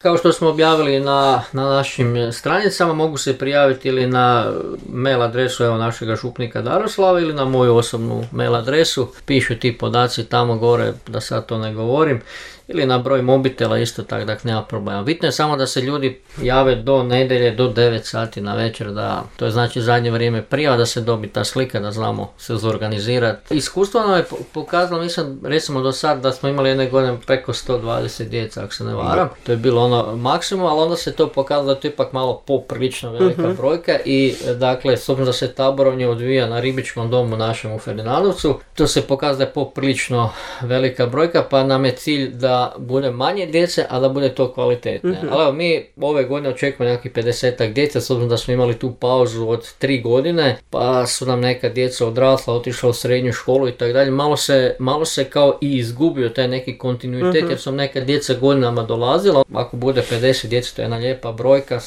Kao što smo objavili na našim stranicama, mogu se prijaviti ili na mail adresu našega župnika Daroslava ili na moju osobnu mail adresu. Pišu ti podaci tamo gore, da sad to ne govorim, ili na broj mobitela isto tako, dakle nema problema. Bitno je samo da se ljudi jave do nedjelje, do 9 sati na večer, da to je znači zadnje vrijeme prijava, da se dobi ta slika, da znamo se zorganizirati. Iskustvo nam je pokazalo, mislim, recimo do sad da smo imali jedne godine preko 120 djeca, ako se ne varam. To je bilo ono maksimum, ali onda se to pokazalo da je to ipak malo poprilično velika brojka i dakle, s obzirom da se taborovanje odvija na ribičkom domu našem u Ferdinandovcu, to se pokazalo da je poprilično velika brojka, pa nam je cilj da bude manje djece, a da bude to kvalitetne. Ali evo, mi ove godine očekujemo nekakvih 50-ak djece, s obzirom da smo imali tu pauzu od 3 godine, pa su nam neka djeca odrasla, otišla u srednju školu i tako dalje. Malo se kao i izgubio taj neki kontinuitet, jer su neka djeca godinama dolazila. Ako bude 50 djece, to je jedna lijepa brojka,